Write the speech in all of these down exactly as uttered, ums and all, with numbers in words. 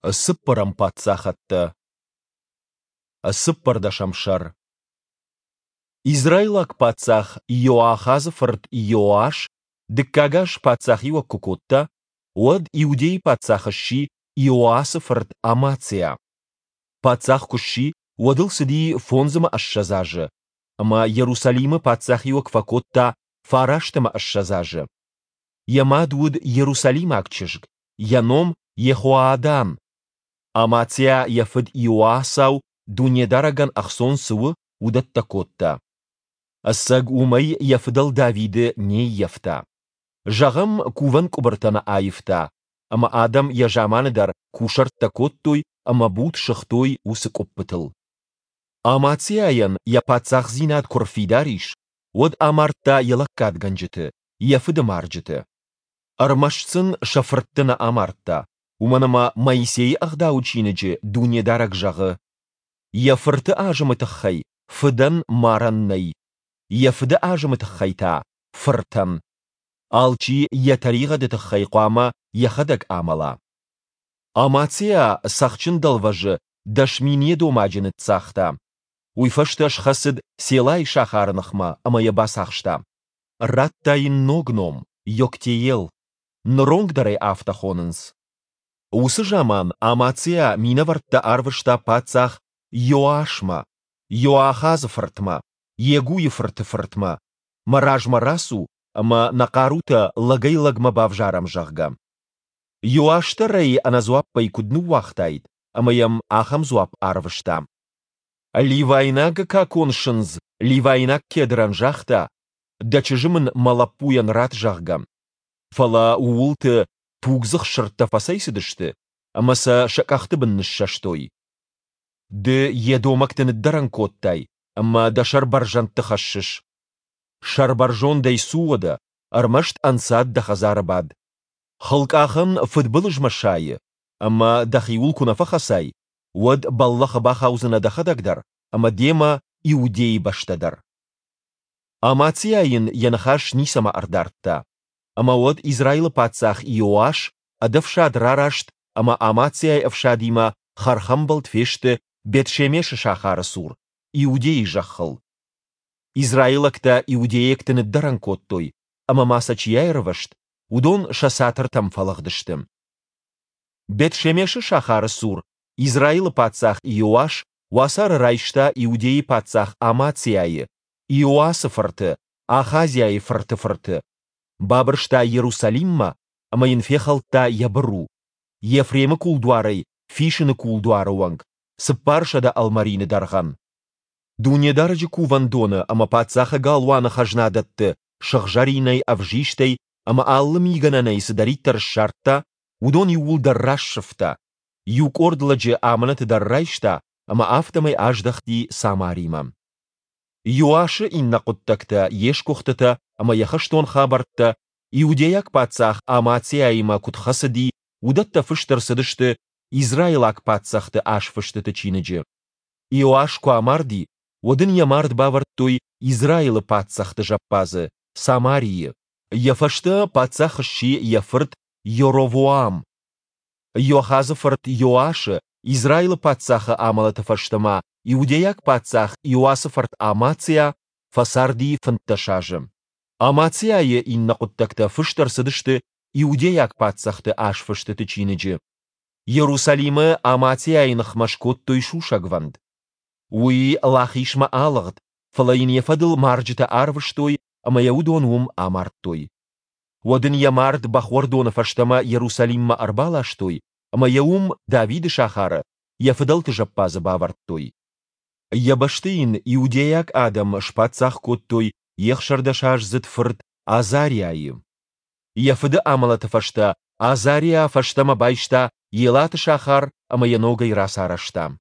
Цыппӕрӕм паддзахӕдтӕ. Цыппӕрдӕсӕм сӕр. Израилаг паддзах Иоахазы фырт Иоас дыккаг аз паддзахиуӕг куы кодта, уӕд Иудӕйы паддзах сси Иоасы фырт Амациа. Паддзах куы сси, уӕд ыл цыди фондз ӕмӕ ссӕдз азы, ӕмӕ Иерусалимы паддзахиуӕг фӕкодта фараст ӕмӕ ссӕдз азы. Йӕ мад уыд иерусалимаг чызг, йӕ ном Йехоадан. Амациа йӕ фыд Иоасау Дунедарӕгӕн ӕхцон цы у, уыдӕттӕ кодта. Ӕцӕг уымӕй йӕ фыдӕл Давиды не ййӕфта. Зӕгъӕм, кувӕн къуыбыртӕ нӕ аивта, ӕмӕ адӕм йӕ заманы дӕр кусӕрттӕ кодтой ӕмӕ буд сыгътой уыцы къуыппытыл. Амациайӕн йӕ паддзахдзинад куы рфидар ис, уӕд амардта йӕ лӕггадгӕнджыты, йӕ фыды марджыты. Ӕрмӕст сын сӕ фыртты нӕ амардта, уымӕн ӕмӕ Моисейы Ӕгъдауы чиныджы Дунедарӕг зӕгъы: Йӕ фырты азымы тыххӕй фыдӕн марӕн нӕй, йӕ фыды азымы тыххӕй та – фыртӕн. Алчи йӕ тӕригъӕды тыххӕй хъуамӕ йӕхӕдӕг амӕла. Амациа Цӕхджын дӕлвӕзы дӕс мин едомаджы ныццагъта. Уый фӕстӕ схӕцыд Селайы сахары ныхмӕ ӕмӕ йӕ бацахста. Радта йын ног ном – Йоктеел. Ныронг дӕр ӕй афтӕ хонынц. Уыцы заман Амациа минӕвӕрттӕ арвыста паддзах Иоасмӕ, Иоахазы фыртмӕ, Йегуйы фырты фыртмӕ, мӕ размӕ рацу ӕмӕ нӕ хъарутӕ лӕгӕй-лӕгмӕ бавзарӕм, зӕгъгӕ. Иоас дӕр ӕй ӕнӕдзуаппӕй куыд ныууагътаид, ӕмӕ йӕм ахӕм дзуапп арвыста: Ливайнаг какон сындз ливайнаг кедрӕн загъта, дӕ чызджы мын мӕ лӕппуйӕн ратт, зӕгъгӕ. Фӕлӕ ууылты тугдзых сырдтӕ фӕцӕйцыдысты ӕмӕ сӕ сӕ къӕхты бын ныссӕстой. Ды едомӕгты ныддӕрӕн кодтай ӕмӕ дӕ сӕр бӕрзӕндты хӕссыс. Сӕрбӕрзондӕй цу уӕдӕ, ӕрмӕст ӕнцад дӕ хӕдзары бад. Хылкъахӕн фыдбылызмӕ сайы, ӕмӕ дӕхиуыл куы нӕ фӕхӕцай, уӕд бӕллӕхы бахаудзынӕ дӕхӕдӕг дӕр ӕмӕ демӕ Иудейы бӕстӕ дӕр. Амациа йын йӕ ныхас ницӕмӕ ӕрдардта. Ӕмӕ уӕд Израилы паддзах Иоас ӕд ӕфсад рараст ӕмӕ Амациайы ӕфсадимӕ хӕрхӕмбӕлд фесты Бет-Шемешы сахары цур, Иудейы зӕххыл. Израилӕгтӕ иудейӕгты ныддӕрӕн кодтой, ӕмӕ ма сӕ чи аирвӕзт, уыдон сӕ цатыртӕм фӕлыгъдысты. Бет-Шемешы сахары цур Израилы паддзах Иоас уацары райста Иудейы паддзах Амациайы, Иоасы фырты, Ахазиайы фырты фырты. Бабырста Иерусалиммӕ ӕмӕ йын фехӕлдта йӕ быру, Ефремы кулдуарӕй Фисыны кулдуары онг, цыппарсӕдӕ ӕлмӕрины дӕргъӕн. Дунедарӕджы кувӕндоны ӕмӕ паддзахы галуаны хӕзнадӕтты сыгъзӕринӕй, ӕвзистӕй ӕмӕ алы мигӕнӕнӕй цыдӕриддӕр ссардта, уыдон иууылдӕр рассывта, иу къорд лӕджы амынӕты дӕр райста ӕмӕ афтӕмӕй аздӕхти Самаримӕ. Иоасы иннӕ хъуыддӕгтӕ, йе сгуыхтытӕ ӕмӕ йӕ хӕстон хабӕрттӕ, иудейаг паддзах Амациаимӕ куыд хӕцыди, уыдӕттӕ фыст ӕрцыдысты израилаг паддзӕхты азфыстыты чиныджы. Иоас куы амарди, уӕд ын йӕ мард бавӕрдтой Израилы паддзӕхты зӕппадзы, Самарийы. Йӕ фӕстӕ паддзах сси йӕ фырт Йоровоам. Иоахазы фырт Иоасы, Израилы паддзахы амӕлӕты фӕстӕ ма иудейаг паддзах Иоасы фырт Амациа фӕцарди фынддӕс азы. Амациайы иннӕ хъуыддӕгтӕ фыст ӕрцыдысты иудейаг паддзӕхты азфыстыты чиныджы. Иерусалимы Амациайы ныхмӕ скодтой сусӕгвӕнд. Уый Лахисмӕ алыгъд, фӕлӕ йын йӕ фӕдыл марджытӕ арвыстой ӕмӕ йӕ уыдон уым амардтой. Уӕд ын йӕ мард бӕхуӕрдоны фӕстӕмӕ Иерусалиммӕ ӕрбаластой ӕмӕ йӕ уым Давиды сахары йӕ фыдӕлты зӕппадзы бавӕрдтой. Йӕ бӕсты йын иудейаг адӕм спаддзах кодтой йе хсӕрдӕсаздзыд фырт Азариайы. Йӕ фыды амӕлӕты фӕстӕ Азариа фӕстӕмӕ байста Елаты сахар ӕмӕ йӕ ногӕй рацарӕзта.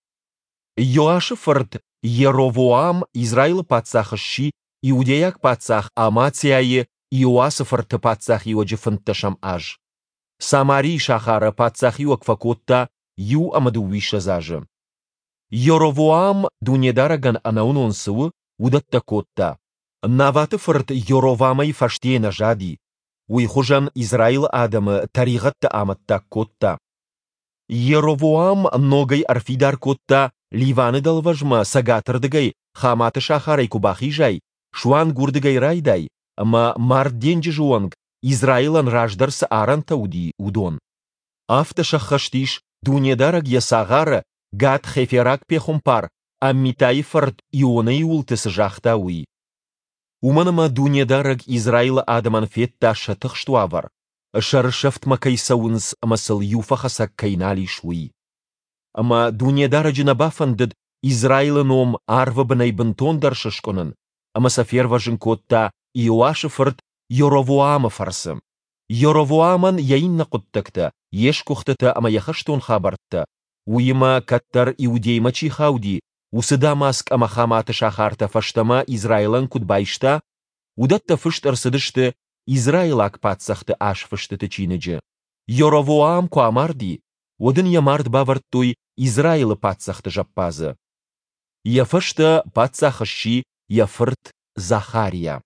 Иоасы фырт Йеровоам Израилы паддзах сси иудейаг паддзах Амациайы Иоасы фырты паддзахиуӕджы фынддӕсӕм аз. Самарийы сахары паддзахиуӕг фӕкодта иу ӕмӕ дыууиссӕдз азы. Йеровоам Дунедарӕгӕн ӕнӕуынон цы у, уыдӕттӕ кодта. Наваты фырт Йоровамӕй фӕстейы нӕ зади, уый хуызӕн Израилы адӕмы тӕригъӕдты амӕттаг кодта. Йеровоам ногӕй ӕрфидар кодта, Ливаны дӕлвӕзмӕ цӕгатырдыгӕй Хаматы сахарӕй куы бахизай, суанг уырдыгӕй райдай, ӕмӕ Мард денджызы онг Израилӕн раздӕр цы арӕнтӕ уыди, уыдон. Афтӕ сӕххӕст ис, Дунедарӕг Йӕ цагъары, гат-хефераг пехуымпар Аммитайы фырт Ионайы уылты цы загъта, уый. Уымӕн ӕмӕ Дунедарӕг Израилы адӕмӕн федта сӕ тыхст уавӕр, сӕрысӕфтмӕ кӕй цӕуынц ӕмӕ сыл иу фӕхӕцӕг кӕй нал ис, уый. Ӕмӕ Дунедарӕджы нӕ бафӕндыд Израилы ном арвы бынӕй бынтондӕр сыскъуынын, ӕмӕ сӕ фервӕзын кодта Иоасы фырт Йоровоамы фӕрцы. Йоровоамӕн йӕ иннӕ хъуыддӕгтӕ, йе сгуыхтытӕ ӕмӕ йӕ хӕстон хабӕрттӕ, уыимӕ, кӕддӕр Иудеймӕ чи хауди, уыцы Дамаск ӕмӕ Хаматы сахартӕ фӕстӕмӕ Израилӕн куыд байста, уыдӕттӕ фыст ӕрцыдысты Израилаг паддзӕхты азфыстыты чиныджы. Йоровоам куы амарди, уӕд ын йӕ мард бавӕрдтой Израилы паддзӕхты зӕппадзы. Йӕ фӕстӕ паддзах сси йӕ фырт Захариа.